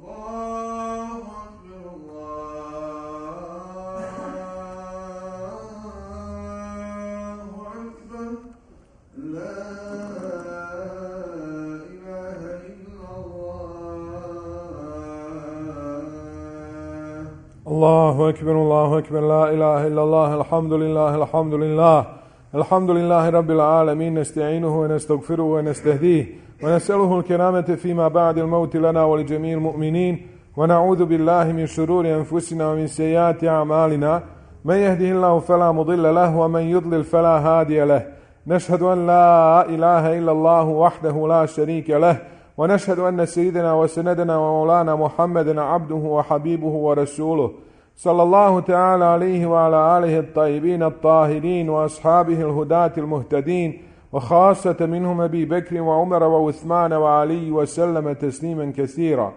الله أكبر الله أكبر لا إله إلا الله الحمد لله الحمد لله الحمد لله رب العالمين نستعينه ونستغفره ونستهديه ونسأله الكرامة فيما بعد الموت لنا ولجميع المؤمنين ونعوذ بالله من شرور أنفسنا ومن سيئات أعمالنا من يهده الله فلا مضل له ومن يضلل فلا هادي له نشهد أن لا إله إلا الله وحده لا شريك له ونشهد أن سيدنا وسندنا ومولانا محمدا عبده وحبيبه ورسوله صلى الله تعالى عليه وعلى آله الطيبين الطاهرين وأصحابه الهداة المهتدين وخاصة منهم أبي بكر وعمر وعثمان وعلي وسلم تسليما كثيرا.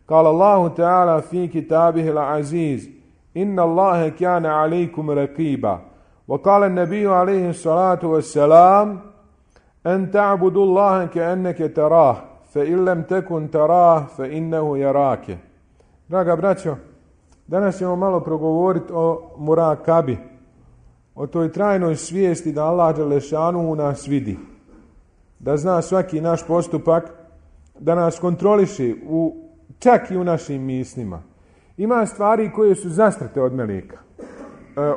قال الله تعالى في كتابه العزيز إن الله كان عليكم رقيبا. وقال النبي عليه الصلاة والسلام أن تعبدوا الله كأنك تراه فإن لم تكن تراه فإنه يراك. Draga braćo, danas ćemo malo progovoriti o murakabi, o toj trajnoj svijesti da Allah dželešanu u nas vidi, da zna svaki naš postupak, da nas kontroliše čak i u našim mislima. Ima stvari koje su zastrte od meleka,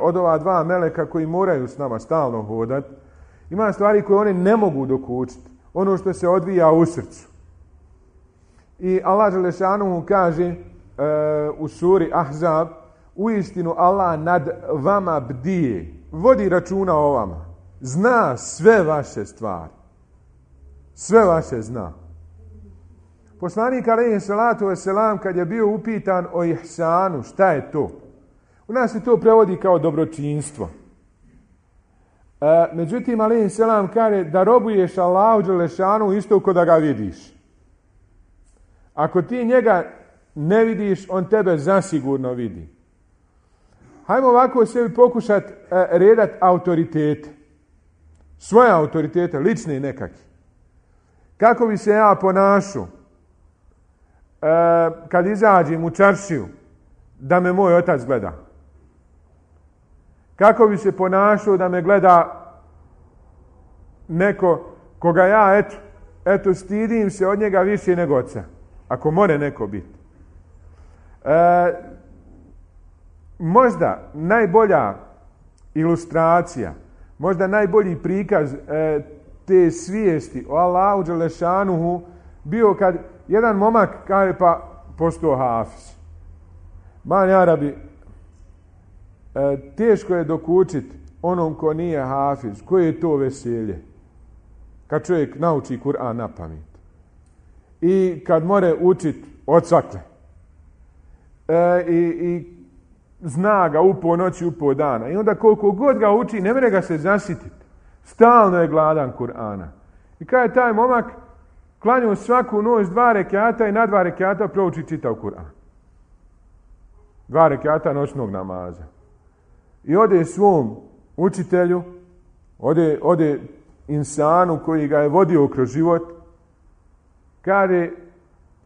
od ova dva meleka koji moraju s nama stalno hodati. Ima stvari koje one ne mogu dokučiti, ono što se odvija u srcu. I Allah dželešanu kaže u suri Ahzab, uistinu Allah nad vama bdije, vodi računa o vama, zna sve vaše stvari, sve vaše zna. Poslanik alejhi salatu vesselam kad je bio upitan o ihsanu, šta je to? U nas se to prevodi kao dobročinstvo. Međutim, alejhi selam kaže da robuješ Allahu dželešanu isto kao da ga vidiš. Ako ti njega ne vidiš, on tebe zasigurno vidi. Hajmo ovako sebi pokušati redati autoritete. Svoje autoritete, lične nekakve. Kako bi se ja ponašao kad izađem u čaršiju da me moj otac gleda? Kako bi se ponašao da me gleda neko koga ja eto stidim se od njega više nego oca? Ako more neko biti. Možda najbolja ilustracija, možda najbolji prikaz te svijesti o Allahu dželešanuhu bio kad jedan momak kaže pa postao hafiz. Man Arabi, teško je dokučiti onom ko nije hafiz. Koje je to veselje? Kad čovjek nauči Kur'an na pamet. I kad more učiti od svakle. I zna ga upo noći, upo dana. I onda koliko god ga uči, ne mere ga se zasititi. Stalno je gladan Kur'ana. I kada je taj momak klanjao svaku noć 2 rekata i na 2 rekata prouči čitav Kur'an. 2 rekata noćnog namaza. I ode svom učitelju, ode insanu koji ga je vodio kroz život, kaže,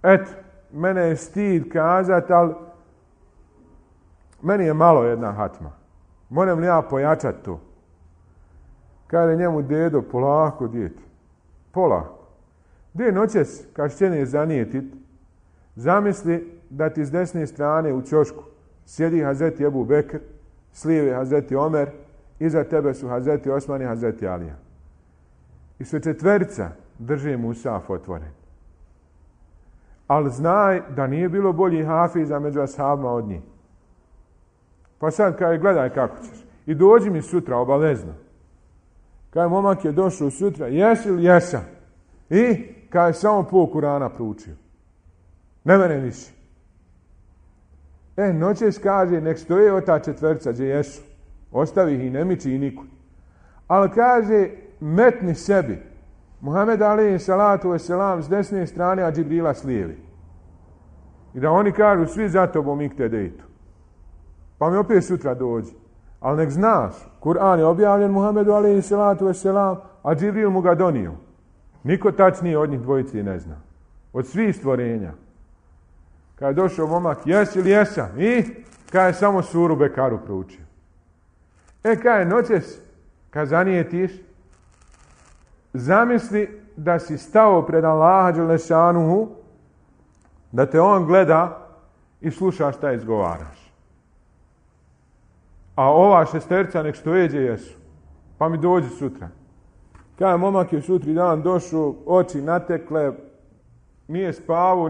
eto, mene je stid kazat, ali meni je malo jedna hatma. Moram li ja pojačati to? Kaže njemu dedo, polako djete, polako. Gdje noćes, kad šćene zanijetit, zamisli da ti s desne strane u ćošku sjedi Hazreti Ebu Bekr, s lijeve Hazreti Omer, iza tebe su Hazreti Osman i Hazreti Alija. I sve četverica drže musaf otvoren. Ali znaj da nije bilo bolji hafiza među ashabima od njih. Pa sad kaj gledaj kako ćeš. I dođi mi sutra obavezno. Kaj momak je došao sutra, jesi li jesam? I kaj je samo pol Kurana proučio. Ne mene više. Noćeš kaže, nek stoje od ta četvrca gdje jesu. Ostavi ih i ne miči i nikud. Ali kaže, metni sebi. Muhammed alejhi salatu vesselam s desne strane, a Džibrila s lijeve. I da oni kažu, svi za tobom iktedejtu. Pa mi opet sutra dođi. Ali nek znaš, Kur'an je objavljen Muhammedu alejhi salatu vesselam, a Džibril mu ga donio. Niko tačnije od njih dvojice ne zna. Od svih stvorenja. Kad je došao momak, jesi li jesam? I kad je samo suru Bekaru proučio. Kad je noćes, kad zanijetiš, zamisli da si stao pred Allaha Đelešanuhu, da te on gleda i sluša šta izgovaraš. A ova šesterca nek što jeđe jesu. Pa mi dođi sutra. Kada momak je sutri dan došao, oči natekle, nije spavao,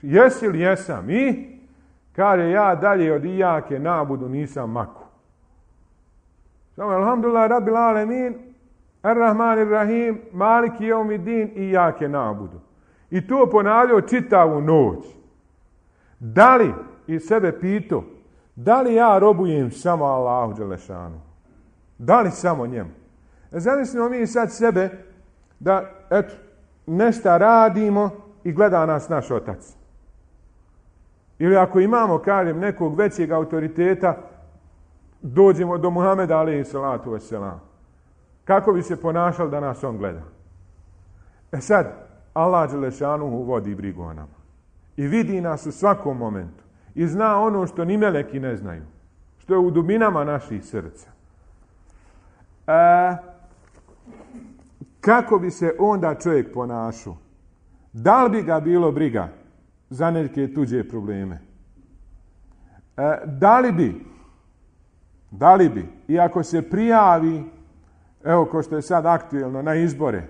jesi li jesam? I kaže ja dalje od ijake nabudu nisam maku. Samo alhamdulillah rabbil alemin, ar-Rahman ar-Rahim, maliki jeumiddin, ijake nabudu. I to ponavljao čitavu noć. Da li, i sebe pitao, da li ja robujem samo Allahu Đelešanu? Da li samo njemu? Zamislimo mi sad sebe da, eto, nešto radimo i gleda nas naš otac. Ili ako imamo, kažem, nekog većeg autoriteta, dođemo do Muhameda alejhi salatu vesselam. Kako bi se ponašali da nas on gleda? Sad, Allah Đelešanuhu vodi brigu o nama. I vidi nas u svakom momentu. I zna ono što ni meleki ne znaju. Što je u dubinama naših srca. Kako bi se onda čovjek ponašao? Da li bi ga bilo briga za neke tuđe probleme? Da li bi, iako se prijavi, evo ko što je sad aktuelno, na izbore,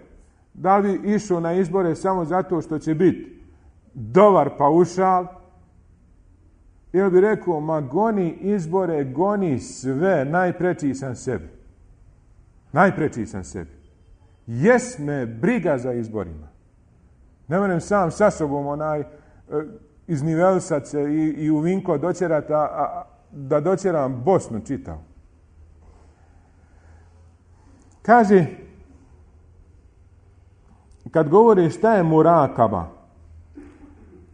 da li bi išao na izbore samo zato što će biti dobar paušal, ili bi rekao, ma goni izbore, goni sve, najpreči sam sebi. Najpreči sam sebi. Jes me briga za izborima. Ne moram sam sa sobom iznivelisat se i u Vinko doćerat, da doćeram Bosnu čitav. Kaže, kad govori šta je murakaba,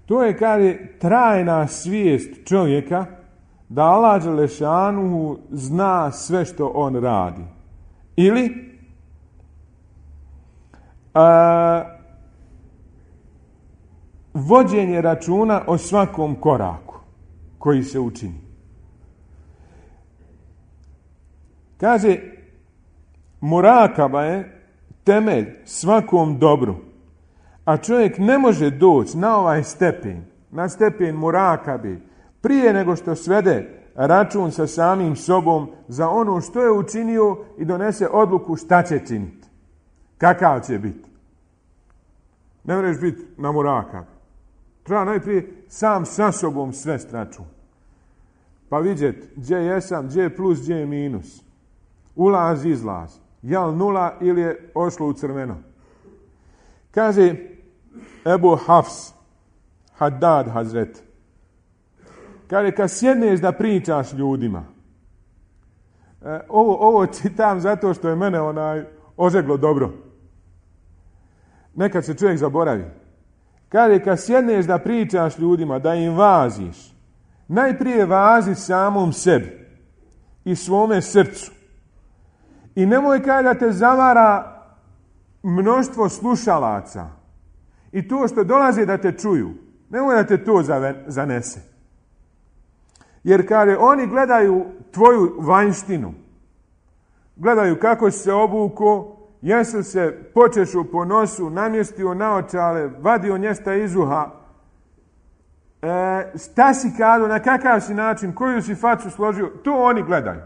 to je, kaže, trajna svijest čovjeka da Allah Đelešanuhu zna sve što on radi. Ili vođenje računa o svakom koraku koji se učini. Kaže, murakaba je temelj svakom dobru. A čovjek ne može doći na ovaj stepen, na stepen murakabe, prije nego što svede račun sa samim sobom za ono što je učinio i donese odluku šta će činiti. Kakav će biti. Ne možeš biti na murakabi. Treba najprije sam sa sobom svest račun. Pa vidjeti gdje jesam, gdje je plus, gdje je minus. Ulaz, izlaz. Jel nula ili je ošlo u crveno. Kaže Ebu Hafs, Haddad Hazret. Kaže, kad sjedneš da pričaš ljudima, ovo čitam zato što je mene ožeglo dobro. Nekad se čovjek zaboravi. Kaže, kad sjedneš da pričaš ljudima, da im vaziš, najprije vazi samom sebi i svome srcu. I nemoj kaže da te zavara mnoštvo slušalaca i to što dolaze da te čuju, nemoj da te to zanese. Jer kaže, oni gledaju tvoju vanjštinu. Gledaju kako si se obuko, jesi se počešao po nosu, namjestio naočale, vadio njesta iz uha, šta si kado, na kakav si način, koju si facu složio, to oni gledaju.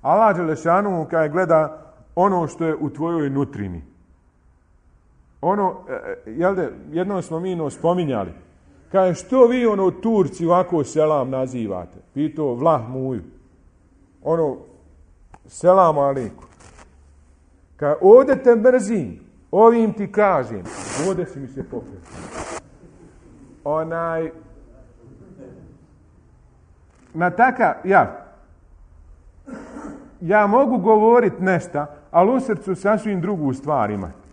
Allah Đelešanuhu kaže gleda ono što je u tvojoj nutrini. Ono, jednom smo mi spominjali, kaže što vi Turci ovako selam nazivate? Pitao vlah muju. Selam alejkum. Kaže ovdje te mrzim, ovim ti kažem, ovdje si mi se popio. Na takav, ja mogu govoriti nešto, ali u srcu sasvim drugu stvar imati.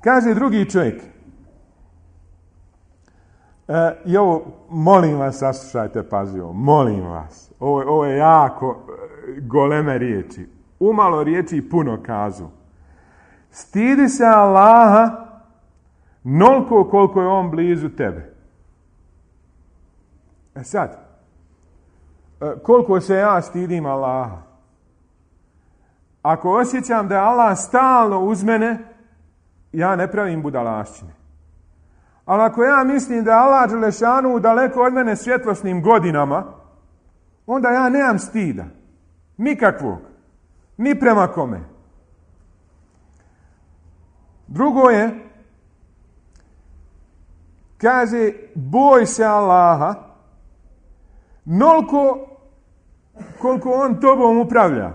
Kaže drugi čovjek, i ovo, molim vas, saslušajte pažljivo, molim vas, ovo je jako goleme riječi, umalo riječi puno kazu. Stidi se Allaha noliko koliko je on blizu tebe. Sad, koliko se ja stidim Allaha? Ako osjećam da je Allah stalno uz mene, ja ne pravim budalašćine. Ali ako ja mislim da je Allah dželešanu daleko od mene svjetlosnim godinama, onda ja nemam stida. Nikakvog. Ni prema kome. Drugo je, kaže, boj se Allaha noliko koliko on tobom upravlja.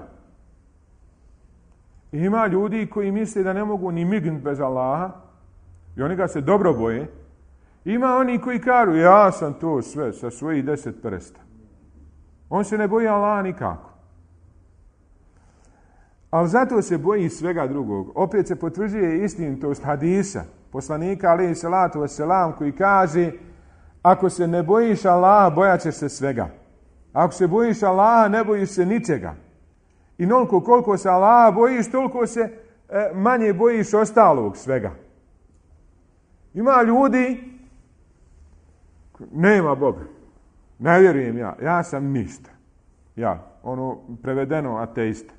Ima ljudi koji misle da ne mogu ni mignuti bez Allaha i oni ga se dobro boje. Ima oni koji kažu, ja sam to sve sa svojih 10 prsta. On se ne boji Allaha nikako. Ali zato se boji svega drugog. Opet se potvrđuje istinitost hadisa poslanika alejhi salatu vesselam koji kaže, ako se ne bojiš Allaha, bojat ćeš se svega. Ako se bojiš Allaha, ne bojiš se ničega. I noliko koliko se Allaha bojiš, toliko se manje bojiš ostalog svega. Ima ljudi, nema Boga, ne vjerujem ja sam ništa. Prevedeno ateista.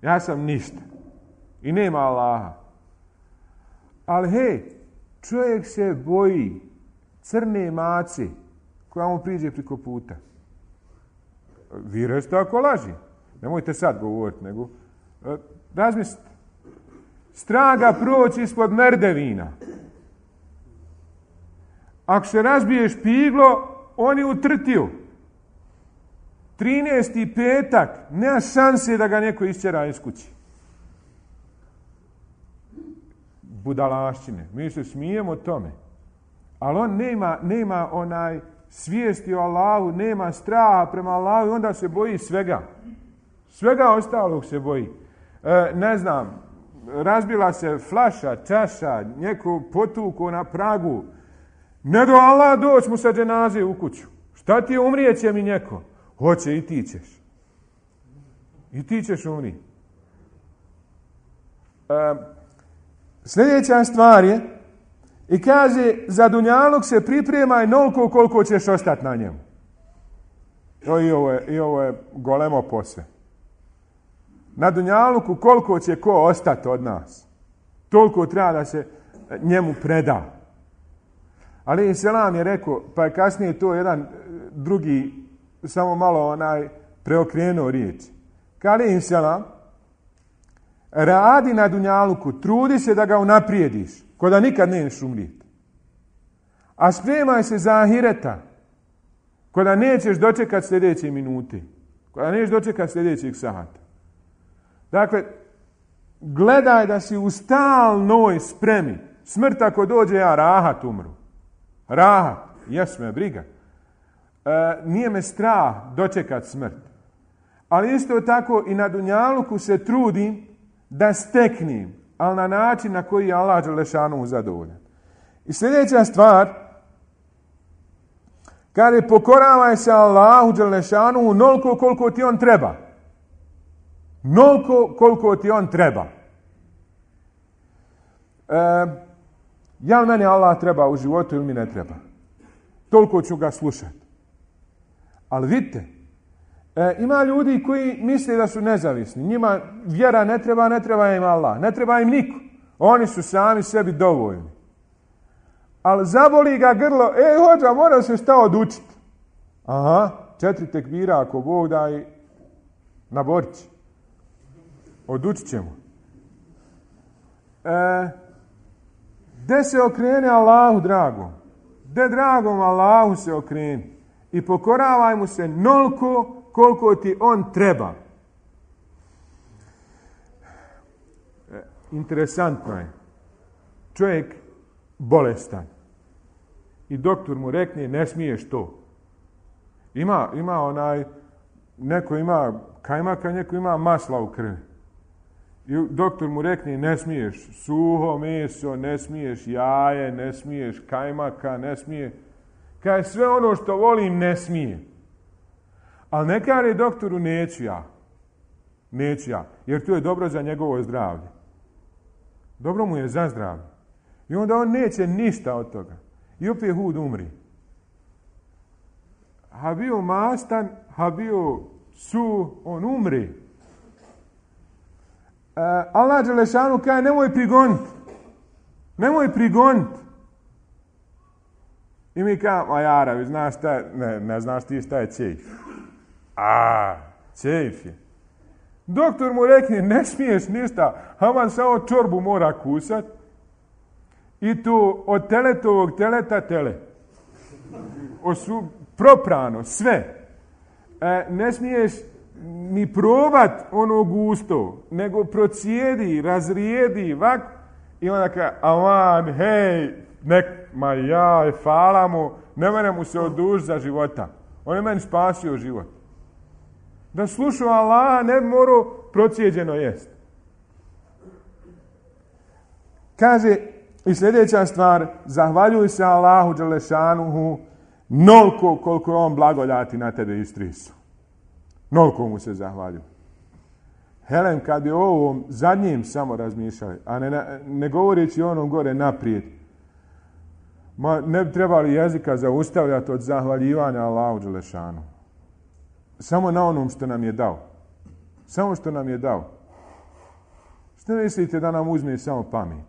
Ja sam ništa. I nema Allaha. Ali hej, čovjek se boji crne mace koja mu priđe preko puta. Vi rešte ako laži. Nemojte sad govoriti, nego razmislite. Straga proći ispod merdevina. Ako se razbije špiglo, on je utrtio. 13. petak, nema šanse da ga neko isćera iz kući. Budalašćine. Mi se smijemo tome. Ali on nema onaj svijesti o Allahu, nema straha prema Allahu i onda se boji svega. Svega ostalog se boji. Ne znam, razbila se flaša, čaša, neko potuko na pragu. Ne do Allah doći mu sa dženaze u kuću. Šta ti je, umrijeće mi neko? Hoće, i ti ćeš. I ti ćeš umriti. Sljedeća stvar je, i kaže, za dunjaluk se pripremaj noliko koliko ćeš ostati na njemu. I ovo je golemo posve. Na dunjaluku koliko će ko ostati od nas, toliko treba da se njemu preda. Ali selam je rekao, pa je kasnije to jedan drugi samo malo preokrenuo riječ. Kali selam, radi na dunjaluku, trudi se da ga unaprijediš, ko da nikad nećeš umrijeti. A spremaj se za ahireta, ko da nećeš dočekati sljedeće minute, ko da nećeš dočekati sljedećeg sata. Dakle, gledaj da si u stalnoj spremi. Smrt ako dođe, ja rahat umru. Rahat, jes me briga. Nije me strah dočekat smrt. Ali isto tako i na dunjaluku se trudim da steknem, ali na način na koji je Allah dželešanu zadovoljan. I sljedeća stvar, kaže, pokoravaj se Allahu dželešanu onoliko koliko ti on treba. Noliko koliko ti on treba. Jel meni Allah treba u životu ili mi ne treba? Toliko ću ga slušati. Ali vidite, ima ljudi koji misle da su nezavisni. Njima vjera ne treba im Allah, ne treba im niko. Oni su sami sebi dovoljni. Ali zaboli ga grlo, hođa, mora se šta odučiti. Aha, 4 tekbira ako Bog da i na Borići. Odučit ćemo. De se okrene Allahu dragom. De dragom Allahu se okreni. I pokoravaj mu se noliko koliko ti on treba. Interesantno je. Čovjek bolestan. I doktor mu rekne, ne smiješ to. Neko ima kajmaka, neko ima masla u krvi. I doktor mu rekne, ne smiješ suho meso, ne smiješ jaje, ne smiješ kajmaka, ne smije. Kaže, sve ono što volim ne smije. Ali ne kaže doktoru, neću ja. Jer to je dobro za njegovo zdravlje. Dobro mu je za zdravlje. I onda on neće ništa od toga. I opet hud umri. ha bio mastan, ha bio suh, on umre. Allah dželešanu kaže nemoj prigonit. I mi kažemo, a jaravi, znaš šta, ne znaš ti šta je čejf. Čejf je. Doktor mu rekne, ne smiješ ništa, haman samo čorbu mora kusat. I tu od teletovog teleta tele. Proprano, sve. Ne smiješ ni probat ono gusto, nego procijedi, razrijedi, vak. I onda kaže, aman, hej, hvala mu, ne mene mu se odužiti za života. On je meni spasio život. Da slušao Allaha ne bi morao procijeđeno jest. Kaže i sljedeća stvar, zahvaljuj se Allahu dželešanuhu nolko koliko je on blagodati na tebe istrisao. Nolko mu se zahvaljuj. Helen, kad bi o ovom zadnjim samo razmišljali, a ne govoreći onom gore naprijed, ne bi trebali jezika zaustavljati od zahvaljivanja Allahu dželešanu. Samo na onom što nam je dao. Samo što nam je dao. Što mislite da nam uzme samo pamet?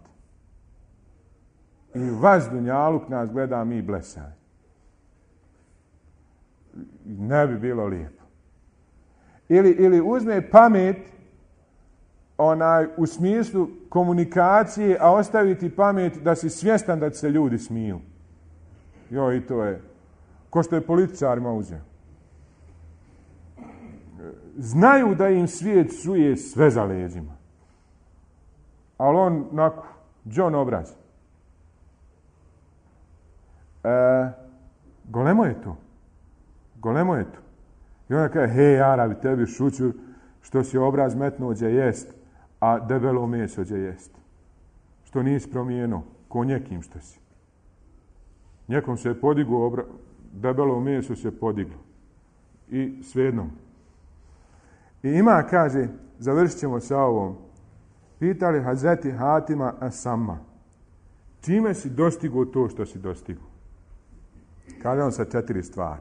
I vaš dunjaluk nas gleda, mi blesaj. Ne bi bilo lijepo. Ili uzme pamet u smislu komunikacije, a ostaviti pamet da si svjestan da se ljudi smiju. I to je ko što je političarima uzeo. Znaju da im svijet suje sve za leđima. Ali on onako, John obraz. Golemo je to. I onda kaže, hej, Arabi, tebi šuću što si obraz metnuo gdje jest, a debelo meso gdje jest. Što nisi promijenio, ko njekim što si. Njekom se je podiglo, debelo meso se podiglo. I svejedno. I ima, kaže, završit ćemo sa ovom, pitali Hazreti Hatima As-Samma, čime si dostigao to što si dostigao? Kaže on sa 4 stvari.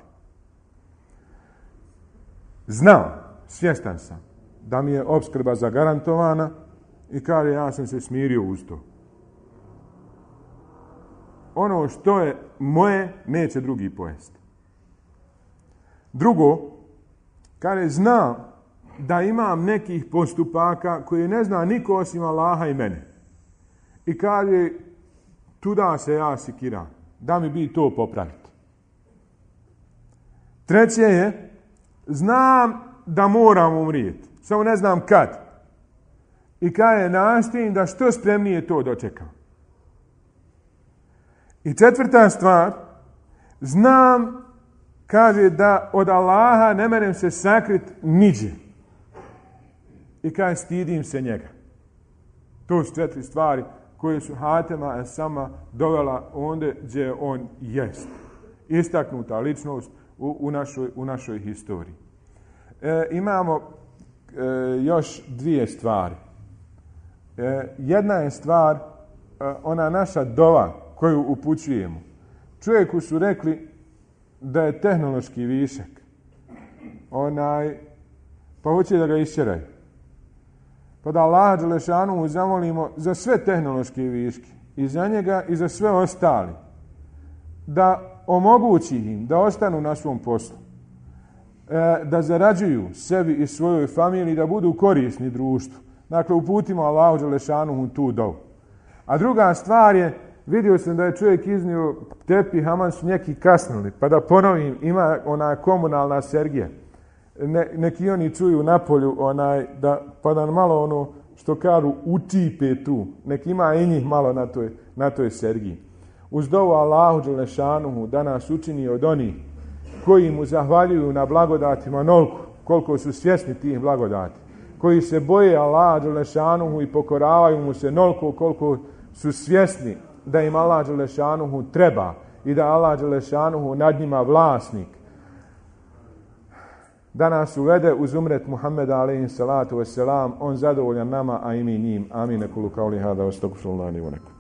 Znao, svjestan sam, da mi je opskrba zagarantovana i kaže, ja sam se smirio uz to. Ono što je moje, neće drugi pojesti. Drugo, kaže, znam da imam nekih postupaka koje ne zna niko osim Allaha i mene. I kaže, tuda se ja sikiram, da mi bi to popraviti. Treće je, znam da moram umrijeti, samo ne znam kad. I kaže, nastojim da što spremnije to dočekam. I četvrta stvar, znam, kaže, da od Allaha ne merem se sakrit niđe. I kaže, stidim se njega. To su 4 stvari koje su Hatima As-Samma dovela ondje gdje on jest. Istaknuta ličnost u našoj historiji. Imamo još 2 stvari. Jedna je stvar, ona naša dova koju upućujemo. Čovjeku su rekli da je tehnološki višak. Pa hoće da ga išćeraju. Pa da Allaha dželešanu zamolimo za sve tehnološke viške. I za njega i za sve ostali. Da omogući im da ostanu na svom poslu. Da zarađuju sebi i svojoj familiji, da budu korisni društvu. Dakle, uputimo Allahu dželešanu tu dovu. A druga stvar je, vidio sam da je čovjek iznio tepih, aman su neki kasnili. Pa da ponovim, ima ona komunalna sergija. Neki oni čuju napolju, pa da malo ono što kažu utipe tu. Neki ima i njih malo na toj sergiji. Uz dovu Allahu dželešanuhu da nas učini od onih koji mu zahvaljuju na blagodatima nolko, koliko su svjesni tih blagodati. Koji se boje Allaha dželešanuhu i pokoravaju mu se nolko koliko su svjesni da im Allah dželešanuhu treba i da Allah dželešanuhu nad njima vlasnik. Da nas uvede uz umret Muhammeda alejhi salatu vesselam, on zadovoljan nama, a i mi njim. Amin. Kulu kauli hada, astagfirullahi wa lakum.